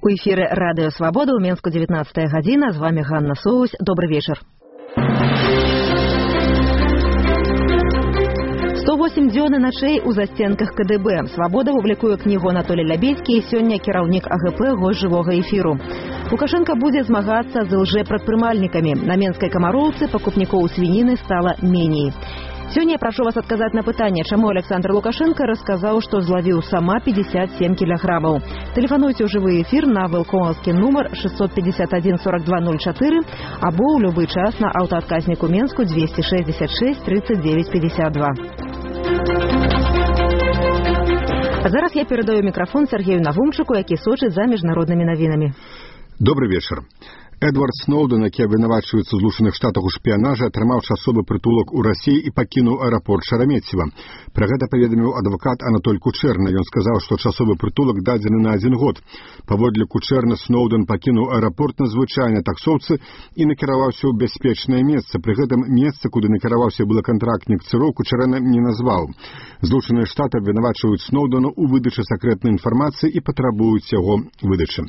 У эфире Радио Свобода, у Менску 19 година. С вами Ганна Соусь. Добрый вечер. 108 дзён і начэй у застенках КДБ. Свобода публікуе кнігу Анатолій Лябедзькі і сёння кіраўнік АГП госць жывога эфіру. Лукашенко будзе змагацца з лжэпрадпрымальнікамі. На Менскай Камароўцы пакупнікоў свініны стала меней. Сёння я прашу вас адказаць на пытанне, чаму Александр Лукашенко расказаў, што злавіў сама 57 кілаграмаў. Тэлефануйце ў жывы эфір на вэлкомаўскі нумар 651 4204 або ў любы час на аўтаадказніку Менску 266 39 52. А зараз я перадаю мікрафон Сергею Навумчыку, які сочыць за міжнароднымі навінамі. Добрый вечер. Эдвард Сноуден, які абвінавачваецца ў Злучаных Штатах у шпіянажы, атрымаў часовы прытулак у Расіі і пакінуў аэрапорт Шарамецева. Пра гэта паведаміў адвакат Анатоль Кучэрна. Ён сказаў, што часовы прытулак дадзены на 1 год. Паводле Кучэрна Сноуден пакінуў аэрапорт на звычайнай таксоўцы і накіраваўся ў бяспечнае месца. Пры гэтым месца, куды накіраваўся былы кантрактнік ЦРУ, Кучэрна не назваў. Злучаныя Штаты абвінавачваюць Сноудена ў выдачы сакрэтнай інфармацыі і патрабуюць яго выдачы.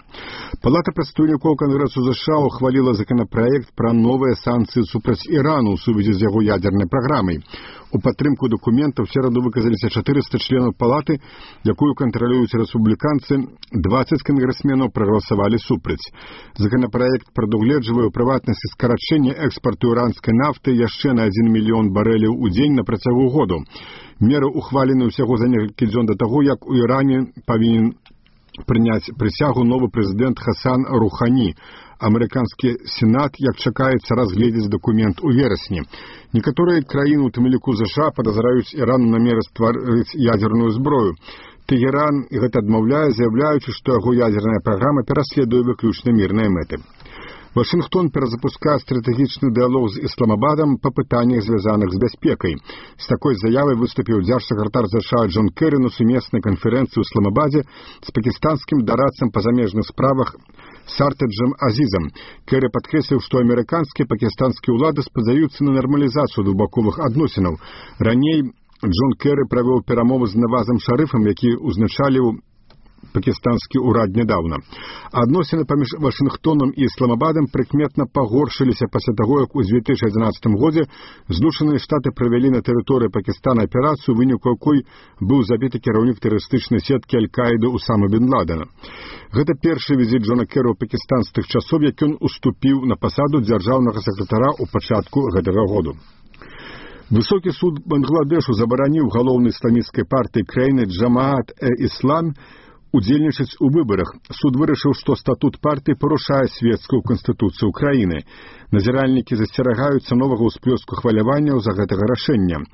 Палата прадстаўнікоў Кангрэсу США ухвалила законопроект про новые санкции супраць Ирану в сувязі з яго ядерной программой. У падтрымку документов в середу выказаліся 400 членов палаты, якую контролююць рэспубліканцы, 20 конгрессменов проголосовали супраць. Законопроект прадугледжвае ў прыватнасці скарачэнне экспарту іранскай нафты яшчэ на 1 мільён барэляў у дзень на працягу году. Меры ухвалены ўсяго за некалькі дзён да таго, як у Іране павінен прыняць прысягу новы прэзідэнт Хасан Рухані. Амерыканскі сенат, як чакаецца, разгледзіць дакумент у верасні. Некаторыя краіны, у тым ліку США, падазраюць Іран у намеры стварыць ядерную зброю. Тэгеран гэта адмаўляе, заяўляючы, што яго ядерная праграма пераследуе выключна мірныя мэты. Вашингтон перазапускае стратэгічны дыялог з Ісламабадам па пытаннях, звязаных з бяспекай. З такой заявай выступіў дзяржсакратар США Джон Керрі на сумеснай канферэнцыі ў Ісламабадзе з пакістанскім дарадцам па замежных справах Сартаджем Азізам. Керрі падкрэсліў, што амерыканскія і пакістанскія ўлады спадзяюцца на нармалізацыю двухбаковых адносінаў. Раней Джон Керрі правёў перамовы з Навазам Шарыфам, які ўзначаліў пакістанскі ўрад нядаўна. Адносіны паміж Вашингтонам і Ісламабадам прыкметна пагоршыліся пасля таго, як у 2011 годзе Злучаныя Штаты правялі на тэрыторыі Пакістана аперацыю, у выніку якой быў забіты кіраўнік тэрарыстычнай сеткі Аль-Каіды Усама бен Ладена. Гэта першы візіт Джона Керрі ў Пакістан з тых часоў, як ён уступіў на пасаду дзяржаўнага сакратара ў пачатку гэтага году. Высокі суд Бангладешу забараніў галоўнай ісламісцкай партыі краіны Джамаат-э-Іслам удзельнічаць у выбарах. Суд вырашыў, што статут партыі парушае свецкую канстытуцыю краіны. Назіральнікі засцерагаюцца новага ўсплёску хваляванняў за гэтага рашэння.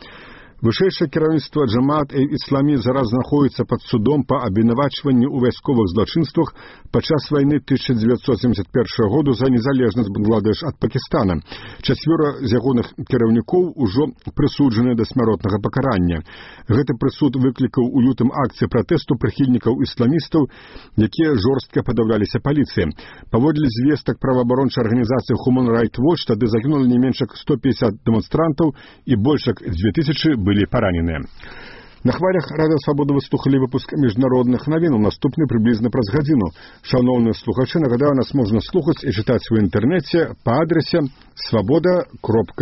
Вышэйшае кіраўніцтва Джамаат-э-Ісламі зараз знаходіцца пад судом па абвінавачванні ў вайсковых злачынствах падчас вайны 1971 году за незалежнасць Бангладеш ад Пакістана. 4 з ягоных кіраўнікоў ужо прысуджаны да смяротнага пакарання. Гэты прысуд выклікаў у лютым акцыі пратэсту прыхільнікаў ісламістаў, якія жорстка падаўляліся паліцыі. Паводле звестак праваабарончай арганізацыі Human Rights Watch, тады загінулі не менш як 150 дэманстрантаў і больш як 2000 былі параненыя. На хвалях Радыё Свабода вы слухалі выпуск міжнародных навін, наступны прыблізна праз гадзіну. Шановныя слухачы, нагадаю, нас можна слухаць і чытаць у інтэрнэце па адрасе svoboda.org.